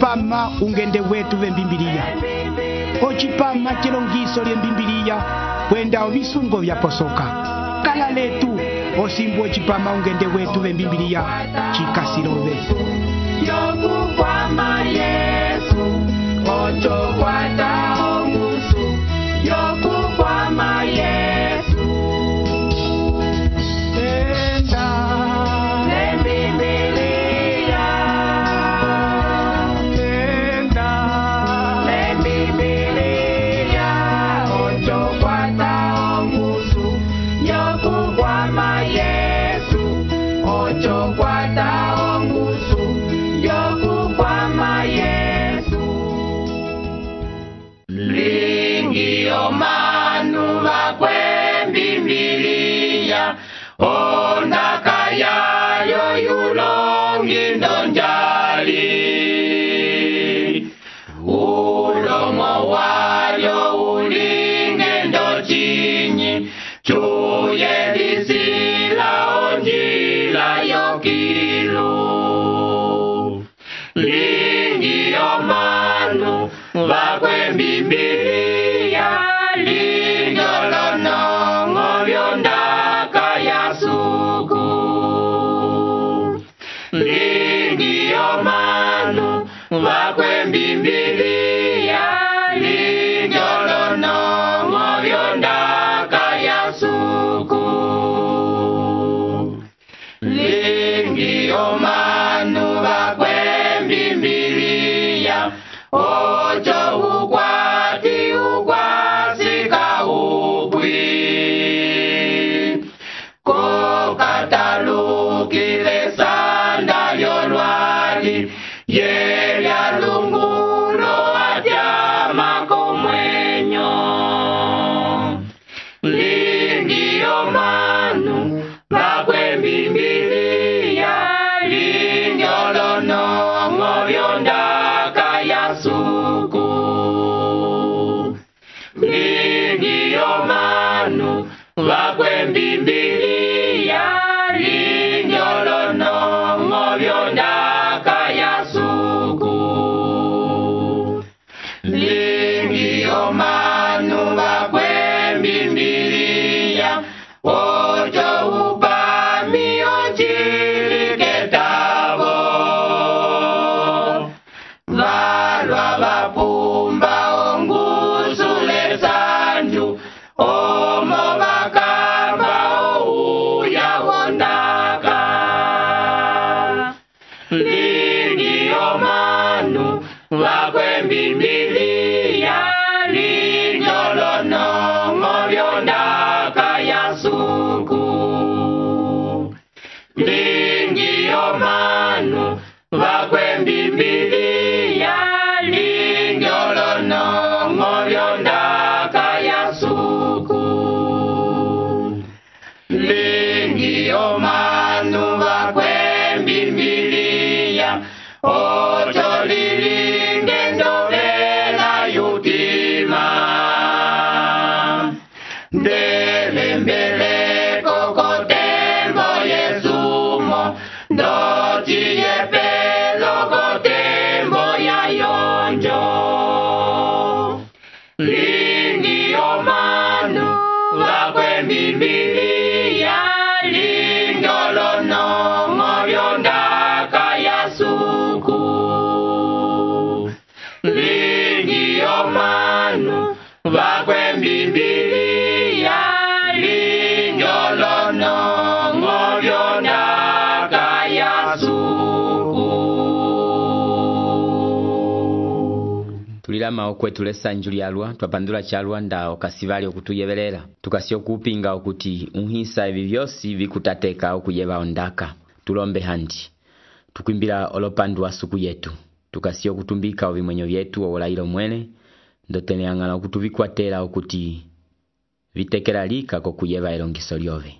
ocipama ungende wetu vembimbiliya, ocipama cilongiso lyembimbiliya kwenda ovisungo vyaposoka. Kala letu osimbu ocipama ungende wetu vembimbiliya cikasilove. Yokukwama Yesu, ocho kwata ongusu. Yokukwama Yesu, Enda lembimbiliya, enda lembimbiliya, ocho kwata ongusu. Yokukwama Yesu, ocho kwata ongusu. Yokukwama Yesu. Lingi omanu vakwembimbiliya, ondaka yayo yulongi ndonjali. Ulomo wayo ulinge ndochinyi, chuye lisila onjila yokilu. Lingi omanu vakwembimbiliya, linjolonongo vyondaka yasuku. Lingi omanu vakwembimbiliya, linjolonongo vyondaka yasuku. Lingi omanu vakwembimbiliya, ocho ukwati ukwasika upwi. Kokatalukile sanda lyolwali, yelya lungulo atyama komwenyo. Lingi omanu vakwembimbiliya, linjolonongo vyondaka yasuku. Lingi omanu vakwembimbiliya, linjolonongo vyondaka yasuku. Lingi omanu vakwembimbiliya, ocho upami ochiliketavo. Valwa vapumba ongusule sanju, omo vakamba ouya wondaka. Lingi omanu vakwembimbiliya, linjolonongo vyondaka yasuku. Lingi omanu vakwembimbiliya, linjolonongo vyondaka yasuku. Lingi omanu vakwembimbiliya, ocho lilinge ndovela yutima. Ndelembeleko kotembo yesumo, ndochiye pelo kotembo ya yonjo. Lingi omanu vakwembimbiliya, linjolonongo vyondaka yasuku. Lingi omanu vakwembimbiliya, linjolonongo vyondaka yasuku. Tulilama okwetu lesanju lyalwa twapandula chalwa nda okasivali okutuyevelela tukasi okupinga okuti unhisa evi vyosi vikutateka okuyeva ondaka. Tulombe handi tukwimbila olopandu wa suku yetu tukasi okutumbika ovimwenyo vyetu owolailo mwene ndoteneangala okutuvikwatela okuti vitekela lika kokuyeva elongiso lyove.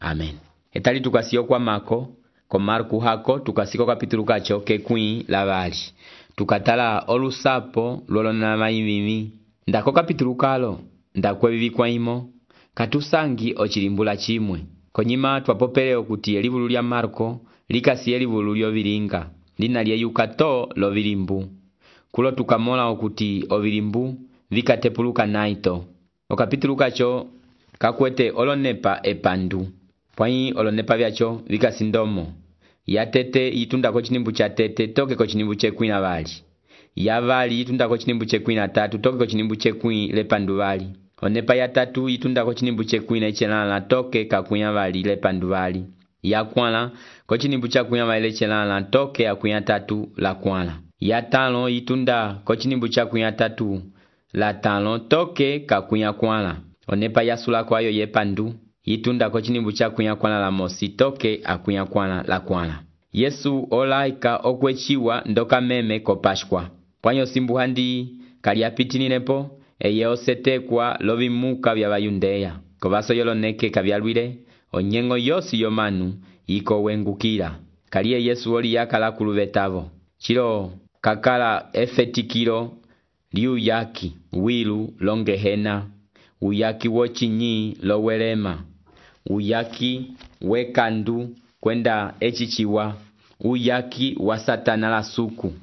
Amen. Etali tukasi okwamako ko Marku hako tukasiko kapitulu kacho kekwi lavali. Tukatala olusapo lolona maimimi. Ndako kapitulu kalo ndakwe vivikwa imo katusangi ochilimbula chimwe. Konyima twapopele okuti elivulu lya Marko likasi elivulu lyovilinga. Lina lye yukato lovilimbu. kulo tukamola okuti ovilimbu vikatepuluka naito. Okapitulu kacho kakwete olonepa epandu. Pwayi olonepa vyacho vikasindomo. Ya tete yitunda ko chinimbu cha tete toke ko chinimbu chekwi na vali. Ya vali yitunda ko chinimbu chekwi na tatu toke ko chinimbu chekwi lepandu vali. Onepa ya tatu yitunda ko chinimbu chekwi na ichelala toke kakuya vali lepandu vali. Ya kwala ko chinimbu chakuya vali lechelala toke kakuya tatu la kwala. Ya talo yitunda ko chinimbu chakuya tatu la talo toke kakuya kwala. Onepa ya sula kwayo yepandu yitunda ko chinimbu chakuya kwala la mosi toke akuya kwala la kwala. Yesu olaika okwechiwa ndoka meme ko Pashkwa. Pwanyo simbu handi kaliapitinilepo eye osetekwa lovimuka vya Bayundeya. Kovaso yoloneke kavyalwile onyengo yosi yomanu yiko wengukila. Kaliye Yesu oli yakala kuluvetavo. Chilo kakala efetikilo liuyaki wilu longehena. Uyaki wochinyi lowelema. Uyaki wekandu kwenda echichiwa. Uyaki wa Satana la suku.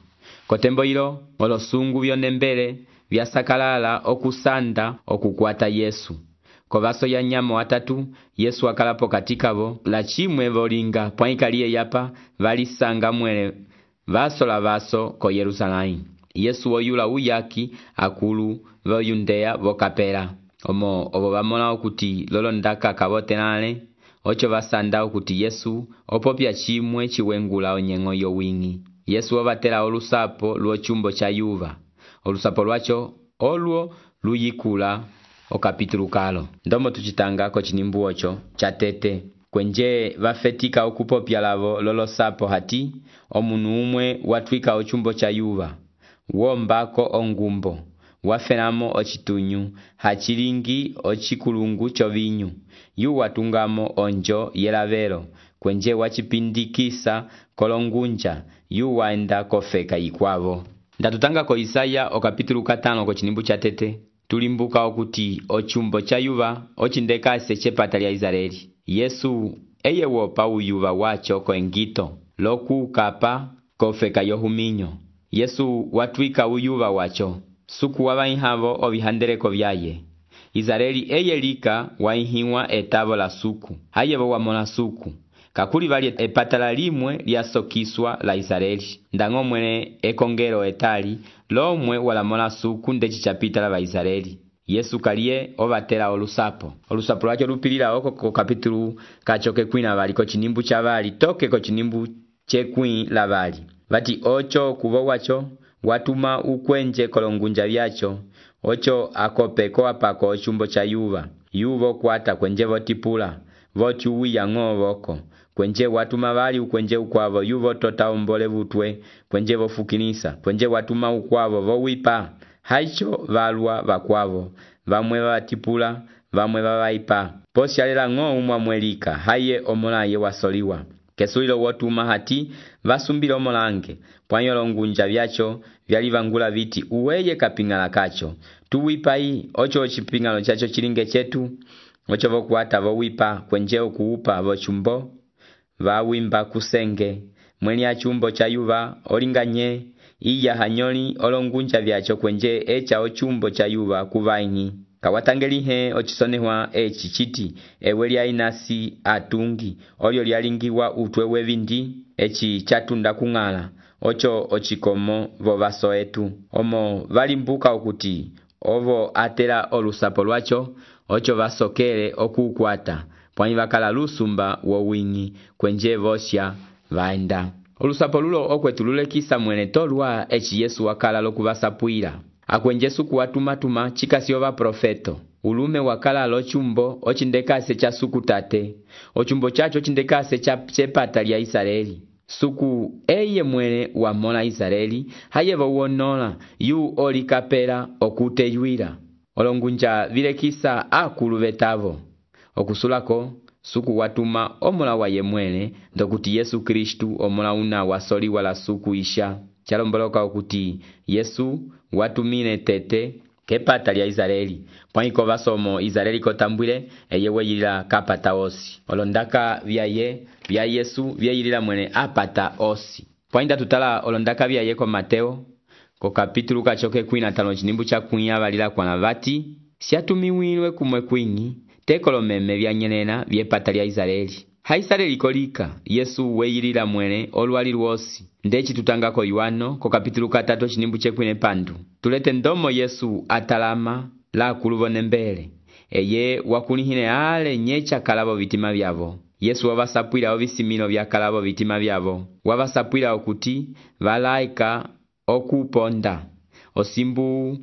Kotembo ilo olosungu vyonembele vyasakalala okusanda okukwata Yesu. Kovaso ya nyamo watatu Yesu akalapo katikavo la chimwe volinga pwaikaliye yapa valisanga mwele vaso la vaso ko Yerusalemu. Yesu oyula uyaki akulu voyundeya vokapela. Omo obo bamola okuti lolondaka kabotenale ocho basanda okuti Yesu opopya chimwe chiwengula onyengo yo wingi. Yesu obatela olusapo luo chumbo cha yuva. Olusapo lwacho olwo luyikula okapitulu kalo. Ndomo tuchitanga ko chinimbu ocho cha tete. Kwenje vafetika okupopya lavo lolosapo hati omunu umwe watwika ochumbo cha yuva. Wombako ongumbo. Wafenamo ochitunyu, hachilingi ochikulungu chovinyu. Yu watungamo onjo yelavelo. Kwenje wachipindikisa kolongunja. Yu waenda kofeka ikwavo. Ndatutanga ko Isaya okapitulu 5 ko chinimbu cha tete. Tulimbuka okuti ochumbo cha yuva ochindekase chepata lya Israeli. Yesu eye wopa uyuva wacho ko engito. Loku kapa kofeka yohuminyo. Yesu watwika uyuva wacho. Suku wabaihavo ovihandereko vyaye. Israeli eye lika waihiwa etavo la suku. Hayevo wamona suku. Kakuli vali epatala limwe lyasokiswa la Israeli. Ndango mwene ekongero etali lomwe walamola suku ndechi chapita la Israeli. Yesu kaliye obatela olusapo. Olusapo lwacho lupilila oko ko kapitulu kachoke kwina vali ko chinimbu cha vali toke ko chinimbu chekwi la vali. Vati ocho kuvo wacho watuma ukwenje kolongunja vyacho. Ocho akopeko apako ochumbo cha yuva. Yuvo kwata kwenje votipula. Vochu uya ng'ovoko. Kwenje watuma vali ukwenje ukwavo yuvo tota umbole vutwe. Kwenje vofukinisa. Kwenje watuma ukwavo vowipa. Haicho valwa vakwavo. Vamwe vatipula. Vamwe vavaipa. Posi alela ng'o umwamwelika. Haye omolaye wasoliwa. Kesulilo wotuma hati vasumbilo molange. Pwanyolo ngunja vyacho vyalivangula viti uweye kapingala kacho. Tuwipai ocho ochipingalo chacho chilinge chetu. Ocho vokuata vowipa kwenje okuupa vochumbo. Vawimba kusenge. Mweni achumbo cha yuva olinganye. Iya hanyoli olongunja vyacho kwenje echa ochumbo cha yuva kuvaingi. Kawatangelihe ochisonehwa echichiti eweli ainasi atungi. Olyo lialingiwa utwewe vindi echi chatunda kungala. Ocho ochikomo vovaso etu. Omo valimbuka okuti ovo atela olusapo lwacho. Ocho vasokele okukwata. Pwanyi vakala lusumba wowingi kwenje vosya vaenda. Olusapo lulo okwetulule kisa mwene tolwa echi Yesu wakala lokuvasapuila. Akwenje suku watumatuma chikasi ova profeto. Ulume wakala lochumbo ochindekase cha suku tate. Ochumbo chacho ochindekase cha chepata lya Israeli. Suku eye mwene wamona Israeli. Hayevo uonola yu olikapela okuteyuila. Olongunja vile kisa akulu vetavo. Okusulako suku watuma omola wa yemwene ndokuti Yesu Kristu omola una wasoli wala suku isha. Chalomboloka okuti Yesu watumine tete kepata lya Israeli. Pwaiko vasomo Israeli kotambwile eyewe yilila kapata osi. Olondaka vya Yesu vya yilila mwene apata osi. Pwainda tutala olondaka vya yeko Mateo ko kapitulu kachoke 15 chinimbu cha kunya balila kwana bati siatumiwilwe kumwe kwingi tekolo meme byanyenena byepata lya Israeli. Ha Israeli kolika Yesu weyilila mwene olwali lwosi. Ndechi tutangako Yohano ko kapitulu 3 chinimbu chekwine pandu. Tulete ndomo Yesu atalama la kulubone mbele. Eye wakulihine ale nyecha kalabo vitima byabo. Yesu wabasapwila obisimino bya kalabo vitima byabo. Wabasapwila okuti balaika okuponda. Osimbu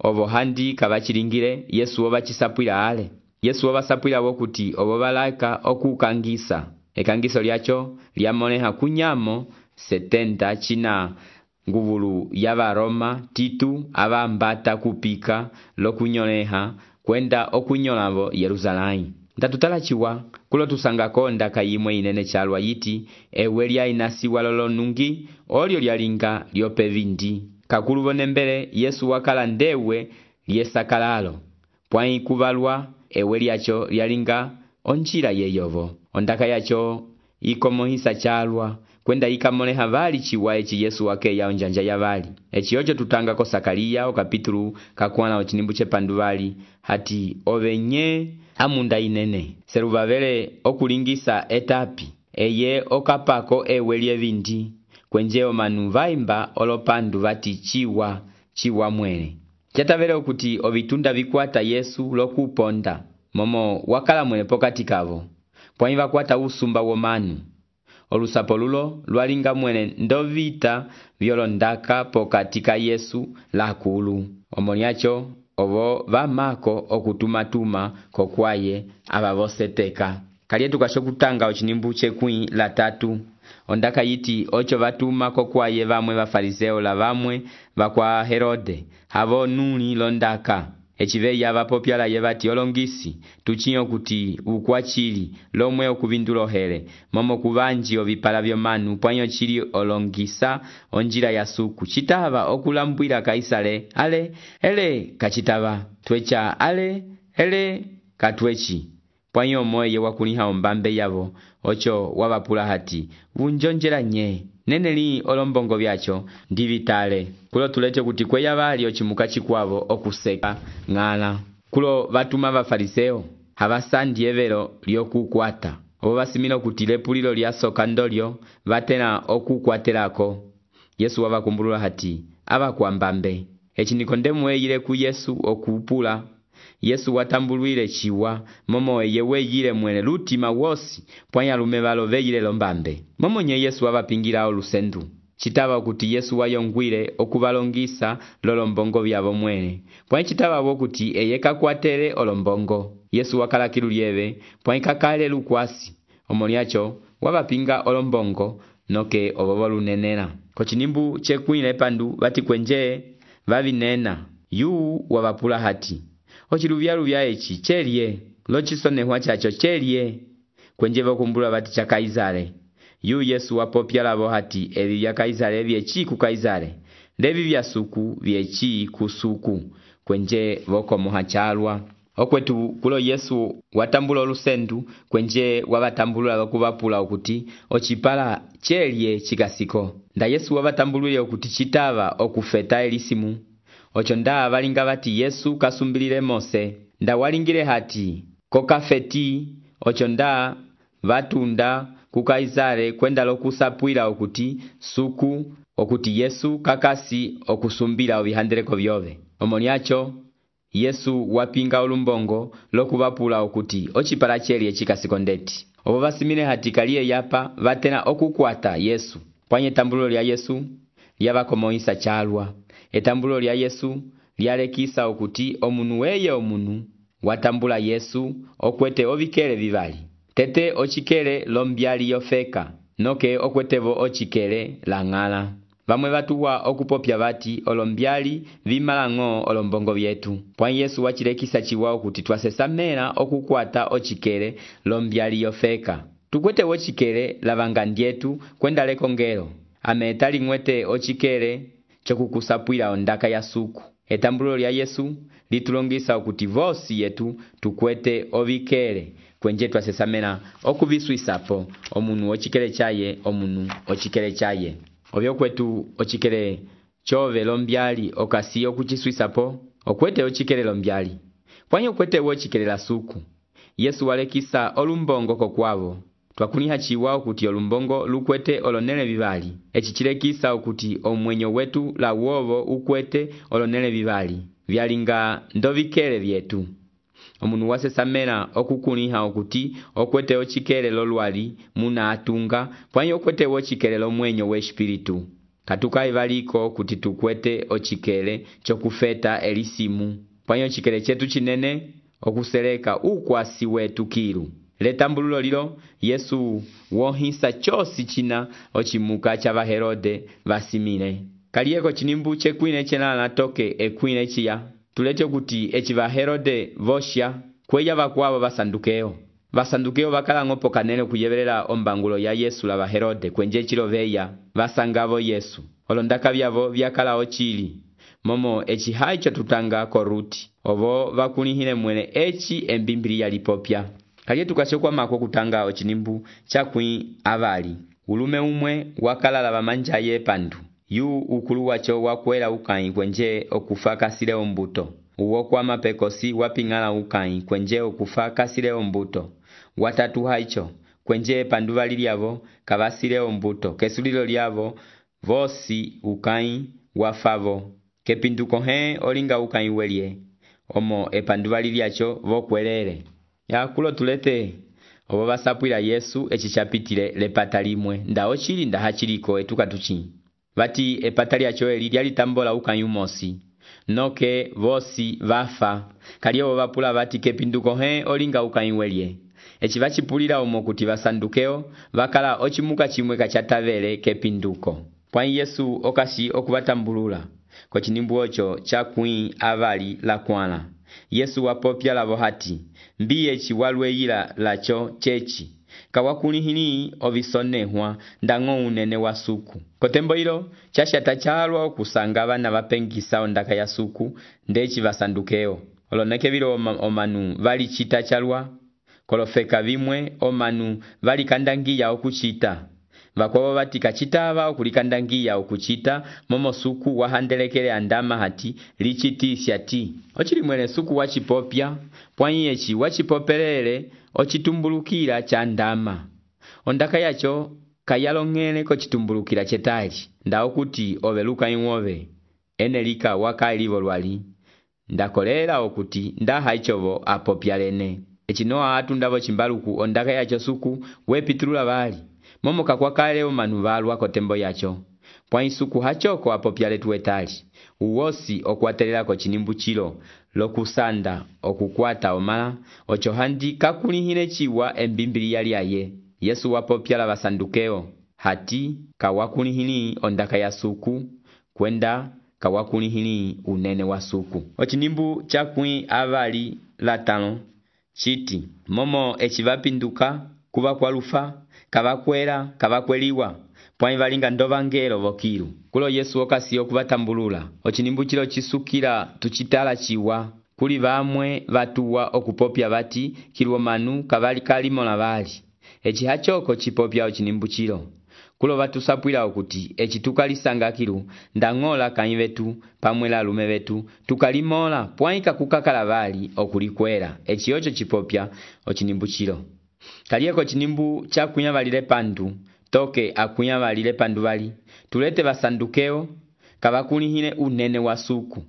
obohandi kabachilingire Yesu wabachisapwila ale. Yesu wabasapwila wokuti obo balaika okukangisa. Ekangiso lyacho lyamoneha kunyamo 70 china nguvulu yaba Roma Titu abambata kupika lokunyoleha kwenda okunyolabo Yerusalemu. Ndatutalachiwa kulo tusangako ndaka yimwe inene chalwa yiti ewe lya inasiwa lolo nungi olyo lyalinga lyope vindi. Kakulubone mbele Yesu wakala ndewe lyesakalalo. Pwai kubalwa ewe lyacho lyalinga onchira yeyovo. Ondaka yacho ikomohisa chalwa kwenda ikamoneha bali chiwa echi Yesu wake ya onjanja ya bali. Echi yocho tutanga ko Sakaria o kapitulu kakwana ochinimbu chepandu bali hati obenye amunda inene. Serubabele okulingisa etapi eye okapako ewe lyevindi kwenjeo manu vaimba olopandu bati chiwa mwene. Chatavele okuti obitunda bikwata Yesu lokuponda momo wakala mwene pokati kavo pwani bakwata usumba womanu. Olusapo lulo lwalinga mwene ndovita byolondaka pokatika Yesu lakulu. Omoniacho obo bamako okutumatuma kokwaye ababoseteka. Kalietu kashokutanga ochinimbu chekwi la 3. Ondaka yiti ocho batuma kokwaye bamwe bafariseo la bamwe bakwa Herode. Habo nuni londaka. Echiveya abapopyala yebati olongisi tuchinyo kuti ukwachili lomwe okubindulo hele momo kubanji obipala byomanu pwanyo chili olongisa onjira ya suku chitaba okulambwila Kaisale ale ele kachitaba twecha ale ele katwechi pwanyo moye wakuliha ombambe yabo ocho wabapula hati unjonjera nye neneli olombongo byacho ndivitale kulo tulete kuti kweya bali ochimuka chikwabo okuseka ngala kulo batuma bafariseo habasandi evero lyokukwata obo basimino kuti lepulilo lyasoka ndolyo batena okukwatelako. Yesu wabakumbulula hati abakwambambe echi Nikodemu eyile ku Yesu okupula. Yesu watambulwile chiwa momo yewe yile mwene lutima wosi pwanya lume balo veyile lombambe. Momo nye Yesu wabapingira olusendu. Chitaba okuti Yesu wayongwile okubalongisa lolombongo byabo mwene. Pwanya chitaba wokuti eyeka kwatere olombongo. Yesu wakala kilulieve pwanya kakale lukwasi. Omoniacho wabapinga olombongo noke obobolu nenena. Kochinimbu chekwile pandu bati kwenje babinena. Yu wabapula hati ochiluvya echi chelie lochisonehwa chacho chelie kwenjeva kumbula bati cha Kaisare. Yu Yesu wapopyalabo hati ebi bya Kaisare byechi ku Kaisare lebi bya suku byechi ku suku kwenje boko muhachalwa. Okwetu kulo Yesu watambula olusendu kwenje wabatambulula bakubapula okuti ochipala chelie chikasiko. Nda Yesu wabatambulule okuti chitaba okufeta elisimu. Ocho nda balinga bati Yesu kasumbilile Mose. Nda walingile hati kokafeti ocho nda batunda ku Kaisare kwenda lokusapwila okuti suku okuti Yesu kakasi okusumbila obihandeleko byobe. Omoniacho Yesu wapinga olumbongo lokubapula okuti ochipala chelie chikasiko ndeti. Obo basimile hati kalie yapa batena okukwata Yesu. Pwanye tambulo lya Yesu lyabakomoisa chalwa. Etambulo lya Yesu lyalekisa okuti omunu weye omunu watambula Yesu okwete obikele bibali. Tete ochikele lombyali yofeka noke okwetevo ochikele langala. Bamwe batuwa okupopya bati olombyali bimalango olombongo byetu. Pwani Yesu wachilekisa chiwa okuti twasesamela okukwata ochikele lombyali yofeka. Tukwete ochikele lavangandietu kwenda lekongelo. Ametali mwete ochikele chokukusapwila ondaka ya suku. Etambulo lya Yesu litulongisa okuti vosi yetu tukwete obikele kwenje twasesamela okubiswisapo omunu ochikele chaye omunu ochikele chaye. Obyo kwetu ochikele chove lombyali okasiyo kuchiswisapo okwete ochikele lombyali pwanyi okwete wochikelela suku. Yesu walekisa olumbongo kokwavo twakuniha chiwa okuti olumbongo lukwete olonele bibali echichilekisa okuti omwenyo wetu la uovo ukwete olonele bibali vyalinga ndovikele vyetu. Omunu wasesamela okukuniha okuti okwete ochikele lolwali muna atunga pwanyi okwete wochikele lomwenyo we espiritu. Katuka ivaliko kuti tukwete ochikele chokufeta elisimu pwanyi ochikele chetu chinene okuseleka ukwasi wetu kilu. Letambululo lilo Yesu wohisa chosi china ochimuka chava Herode vasimile. Kaliyeko chinimbu chekwine chenala toke ekwine chiya. Tulete kuti echiva Herode vosha kweya vakwavo vasandukeo. Vasandukeo vakala ngopo kanene kuyevelela ombangulo ya Yesu lava Herode kwenje chiloveya vasangavo Yesu. Olondaka vyavo vyakala ochili. Momo echi haicho tutanga koruti. Ovo vakunihile mwene echi embimbili ya lipopya. Kaliye tukasokwa mako kutanga ochinimbu chakwi avali. Ulume umwe wakala lava manjaye pandu. Yu ukulu wacho wakwela ukai kwenje okufa kasile ombuto. Uwo kwa mapekosi wapingala ukai kwenje okufa kasile ombuto. Watatu haicho kwenje pandu valilyavo kavasile ombuto. Kesulilo lyavo vosi ukai wafavo. Kepinduko olinga ukai welie. Omo epandu valilyacho vokwelele. Ya kulo tulete obo basapwila Yesu echichapitile lepata limwe nda ochili nda hachiliko etukatuchi. Vati epata lyacho eli lyalitambola ukayumosi. Noke vosi vafa. Kaliyo vapula vati kepinduko olinga ukaywelie. Echi vachipulila omo kuti vasandukeo vakala ochimuka chimwe kachatavele kepinduko. Pwanyi Yesu okasi okuvatambulula. Kwa chinimbu ocho chakwi avali la kwana. Yesu wapopya lavo hati. Mbiye chiwalwe yila lacho chechi. Kawakunihini ovisonehwa ndango unene wa suku. Kotembo ilo, chashata chalwa kusanga vana vapengisa ondaka ya suku ndechi vasandukeo. Oloneke vilo omanu vali chita chalwa. Kolofeka vimwe omanu vali kandangia okuchita. Vakwavo vati kachitava okulikandangia okuchita momo suku wahandelekele andama hati lichiti siati. Ochilimwele suku wachipopya, pwanyi echi wachipopelele ochitumbulukila cha ndama. Ondaka yacho kayalongele kochitumbulukila chetali. Nda okuti oveluka inwove. Enelika waka ilivo lwali. Ndakolela okuti nda haichovo apopyalene. Echinoa atu ndavo chimbaluku ondaka yacho suku wepitulula vali. Momo kakwakale omanu valwa kotembo yacho. Pwanyi suku hachoko apopyale tuwetali. Uwosi okwatelela ko chinimbu chilo. Lokusanda okukwata omala. Ochohandi kakulihine chiwa embimbili yali aye. Yesu wapopyala vasandukeo. Hati kawakulihini ondaka ya suku. Kwenda kawakulihini unene wa suku. Ochinimbu chakwi avali latano. Chiti. Momo echivapinduka kuva kwa lufa. Kavakwela, kavakweliwa. Pwanyi valinga ndovangelo vokilu. Kulo Yesu okasi okuvatambulula. Ochinimbu chilo chisukila tuchitala chiwa. Kuli vamwe vatuwa okupopya vati kiluo manu kavali kalimola vali. Echi hachoko chipopya ochinimbu chilo. Kulo vatusapwila okuti echi tukalisanga kilu ndangola kanyi vetu pamwela lume vetu tukalimola pwanyi kakukakala vali okulikwela. Echi ocho chipopya ochinimbu chilo. Kaliyeko chinimbu chakunya valile pandu, toke akunya valile pandu vali. Tulete vasandukeo, kavakunihine unene wa suku.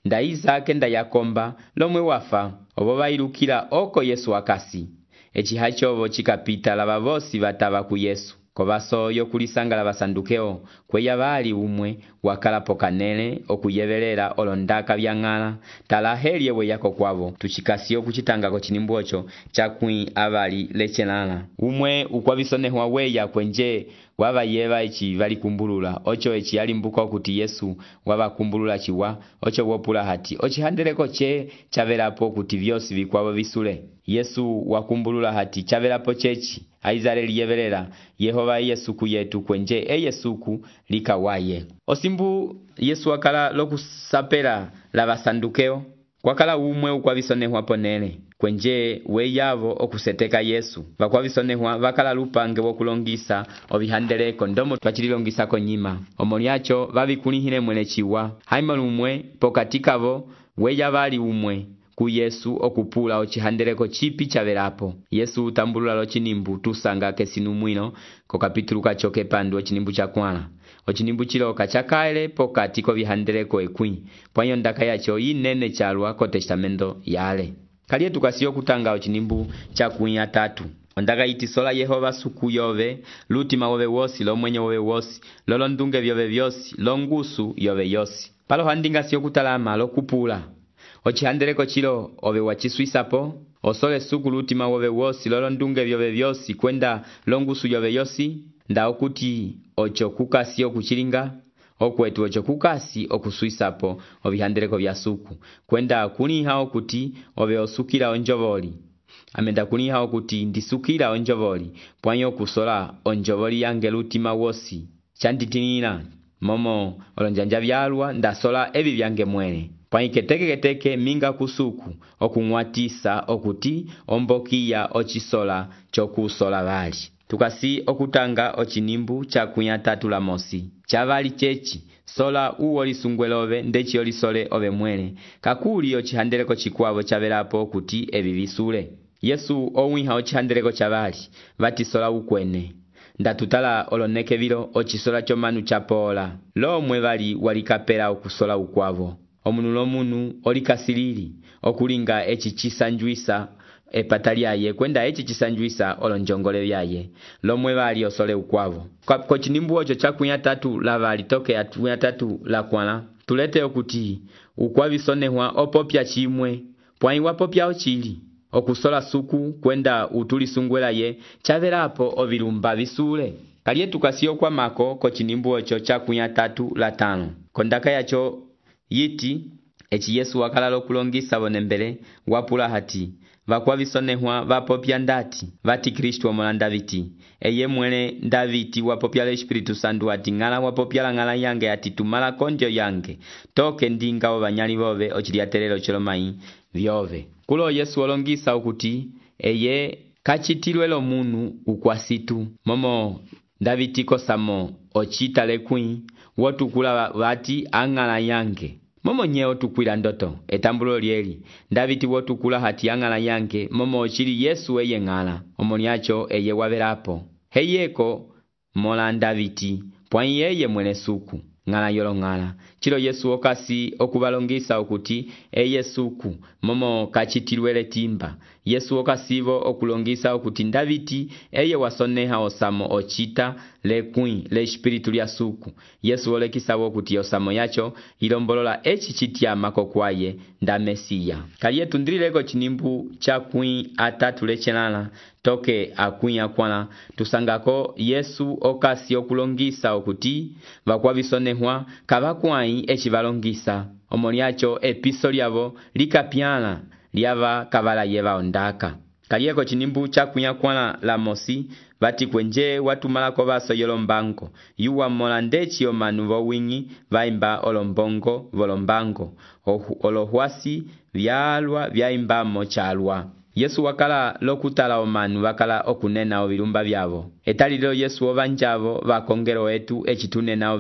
Nda Isake nda Yakomba, lomwe wafa, obo vailukila oko Yesu akasi. Echi hachovo chikapita lava vosi vatava ku Yesu. Kovaso yokulisanga la vasandukeo, kweya vali umwe, wakala pokanele, okuyevelela olondaka vyangala, talaheli yewe yako kwavo, tuchikasiyo kuchitanga chinimbu ocho, chakwi avali lechenala. Umwe ukwavisonehwa weya kwenje, wava yeva echi vali kumbulula, ocho echi yalimbuka kuti Yesu wava kumbulula chiwa, ocho wopula hati, ochi handeleko che, chavelapo kuti vyosi vikwavo visule. Yesu wakumbulula hati, chavelapo chechi. Aizale liyevelela Yehova Yesu kuyetu kwenje Yesuku likawaye. Osimbu Yesu wakala lokusapela la vasandukeo. kwakala umwe ukwavisonehwa ponele kwenje weyavo okuseteka Yesu vakwavisonehwa vakala lupange wokulongisa ovihandeleko ndomo twachililongisa konyima omolyacho vavikulihile mwele chiwa haima lumwe pokati kavo weya vali umwe ku Yesu okupula ocihandeleko chipi chavelapo. Yesu utambulula locinimbu tusanga kesinumwino ko kapitulu kacho kepandu ocinimbu chakwala. Ocinimbu chiloka chakaele pokati ko vihandeleko ekwi pwanyo ndaka yacho inene chalwa ko testamento yale. Kaliye tukasiyo kutanga ocinimbu chakwi atatu. Ondaka iti sola Yehova suku yove, lutima wove wosi, lo mwenye wove wosi, lolo ndunge vyove vyosi, lo ngusu yove yosi. Palo handinga siyo kutalama lo kupula. Ocihandeleko chilo ove wachiswisapo, osole suku lutima wove wosi, lolo ndunge vyove vyosi, kwenda lo ngusu yove yosi, nda okuti ocho kukasi okuchilinga, okwetu ocho kukasi okuswisapo ovihandeleko vya suku, kwenda kuniha okuti ove osukila onjovoli. Amenda kuniha okuti ndisukila onjovoli, pwanyo kusola onjovoli yange lutima wosi. Chantitinila, momo olonjanja vyalwa ndasola evi vyange mwele. Pwanyi keteke minga kusuku okungwatisa okuti ombokia ochisola chokusola vali. Tukasi okutanga ocinimbu chakwi atatu la mosi. Chavali chechi, sola uwoli sungwelove ndechi olisole ove mwele. Kakuli ocihandeleko chikwavo chavelapo okuti evi visule. Yesu owiha ocihandeleko chavali, vati sola ukwene. Ndatutala oloneke vilo ochisola chomanu chapola. Lo mwe vali walikapela okusola ukwavo. Omunu lomunu olikasilili, okulinga echi chisanjuisa epatali yaye, kwenda echi chisanjuisa olonjongole vyaye. Lomwe vali osole ukwavo. Kwa chinimbu ocho chakwi atatu la vali toke atwi atatu la kwala. Tulete okuti ukwavisonehwa opopya chimwe, pwanyi wapopya ochili. Okusola suku kwenda utulisungwela ye, chavelapo ovilumba visule. Kaliye tukasiyo kwa mako ko chinimbu ocho chakwi atatu la tano. Kondaka yacho yiti, echi Yesu wakala lokulongisa bonembele, wapula hati, vakwavisonehwa vapopya ndati, vati Kristu omola Ndaviti. Eye mwele Ndaviti wapopya le Espiritu Santu hati ngala wapopya la ngala yange hati tumala konjo yange, toke ndinga ovanyali vove ochiliatelelo cholomai vyove. Kulo Yesu olongisa ukuti, eye kachitilwelo munu ukwasitu, momo Ndaviti kosamo ochita lekwi, wotukula vati angala yange. Momo nyeo tukwila ndoto, etambulo lieli, Ndaviti wotukula hati angala yange, momo ochili Yesu eye ngala, omoniacho eye wavelapo. Heyeko mola Ndaviti, pwanyi yeye mwele suku, ngala yolo ngala. Chilo Yesu okasi okubalongisa okuti, eye suku, momo kachitilwele timba. Yesu okasivo okulongisa okuti Ndaviti, eye wasoneha osamo ochita lekwi le espiritu lya suku. Yesu olekisavo okuti osamo yacho ilombolola echi chitiama kokwaye nda Mesiya. Kaliye tundrileko chinimbu chakwi atatu lechelala toke akwi akwala. Tusangako Yesu okasi okulongisa okuti vakwavisonehwa kavakwai echi valongisa. Omoliacho episo lyavo likapyala lyava kavala yeva ondaka. Kaliyeko chinimbu chakwi akwala la mosi, vati kwenje watumalako vaso yolombango, yuwa mola ndechi omanu vowingi, vaimba olombongo volombango, olohwasi vyalwa vyaimbamo chalwa. Yesu wakala lokutala omanu wakala okunena ovilumba vyavo. Etalilo Yesu ovanjavo vakongero etu echitunena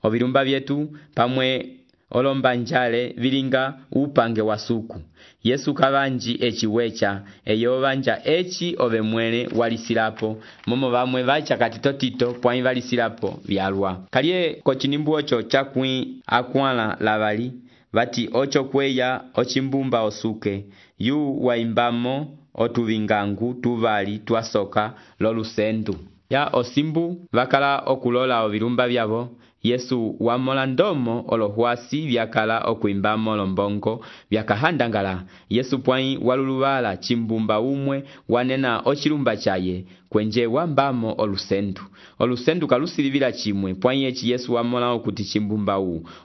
ovilumba vyetu pamwe olombanjale vilinga upange wa suku. Yesu kavanji echi wecha, eyo vanja echi ove mwele walisilapo, momo vamwe vacha katitotito pwanyi valisilapo vyalwa. Kaliye kochinimbu ocho chakwi akwala lavali, vati ocho kweya ochimbumba osuke, yu waimbamo otuvingangu tuvali tuasoka lolusendu. Ya osimbu vakala okulola ovilumba vyavo, Yesu wamola ndomo olohwasi vyakala okuimbamo lombongo vyakahandangala. Yesu pwanyi waluluvala chimbumba umwe wanena ochilumba chaye kwenje wambamo olusendu. Olusendu kalusilivila chimwe pwanyi echi Yesu wamola okuti chimbumba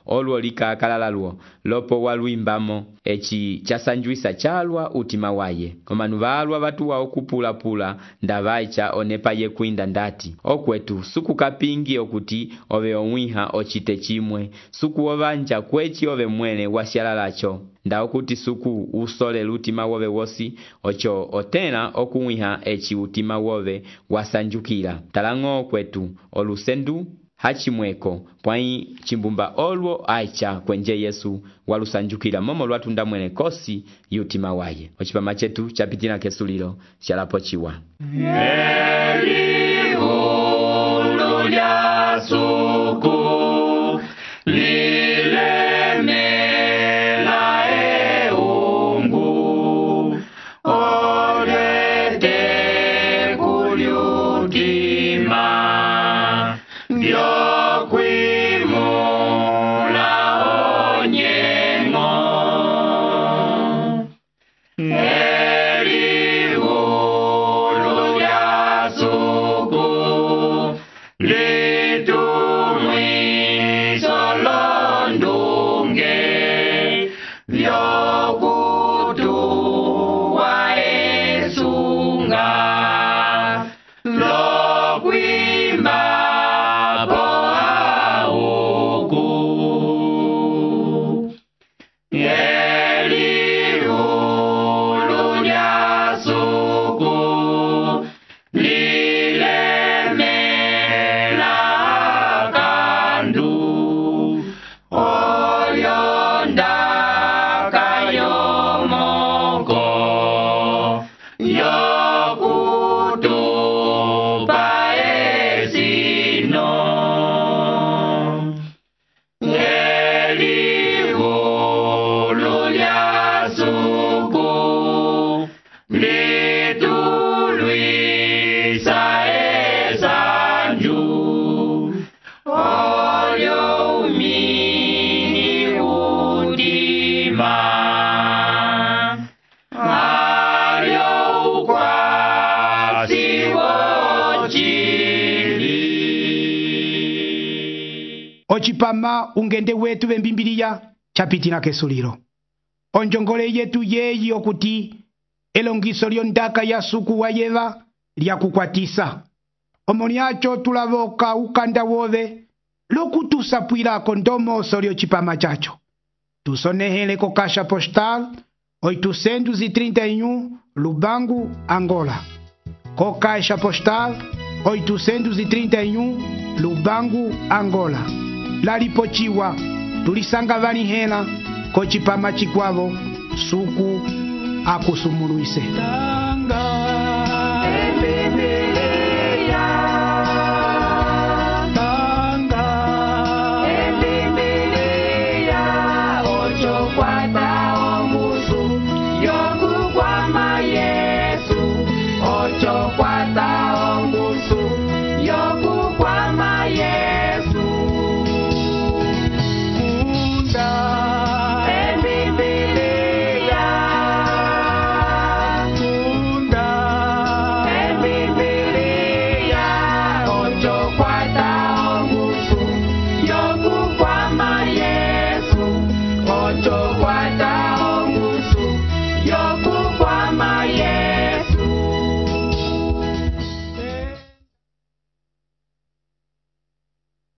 oluo likakalala luo lopo waluimbamo echi chasanjuisa chalwa utima waye. Omanu valwa vatuwa okupula ndavaicha onepa ye kuinda ndati. Okwetu suku kapingi okuti ove omwiha ochite chimwe, suku ovanja kwechi ove mwene wasyalalacho. nda okuti suku usolele utima wove wosi ocho otela okuwiha eci utima wove wasanjukila talang'o kwetu olusendu hachimweko pwai chimbumba olwo aicha kwenje Yesu walusanjukila momo lwatunda mwene kosi yutima waye. Ochipama chetu chapitila kesulilo shalapo chiwa. Elihulu lya suku lilemela eungu olete kulyutima vyokwimula onyengo. Elihulu lya suku litumwiso londunge vyokutuwa esunga lokwimba po auku. Elihulu lya suku lilemela kandu olyondaka yomoko yokutupa esino. Elihulu lya suku litulwisa esanju olyo umini udima alyo ukwasi wochili. Ochipama ungende wetu vembimbiliya chapitila kesulilo. Onjongole yetu yeyi okuti elongiso lyondaka ya suku wayeva lyakukwatisa. Omoniacho tulavoka ukanda wove lokutusapwilako ndomoso lyochipama chacho. Tusonehele ko kasha postal 831 Lubangu, Angola. Ko kasha postal 831 Lubangu, Angola. Lalipochiwa tulisanga vanihela ko chipama chikwavo suku akusumuluise. Yokukwama Yesu ocho kwata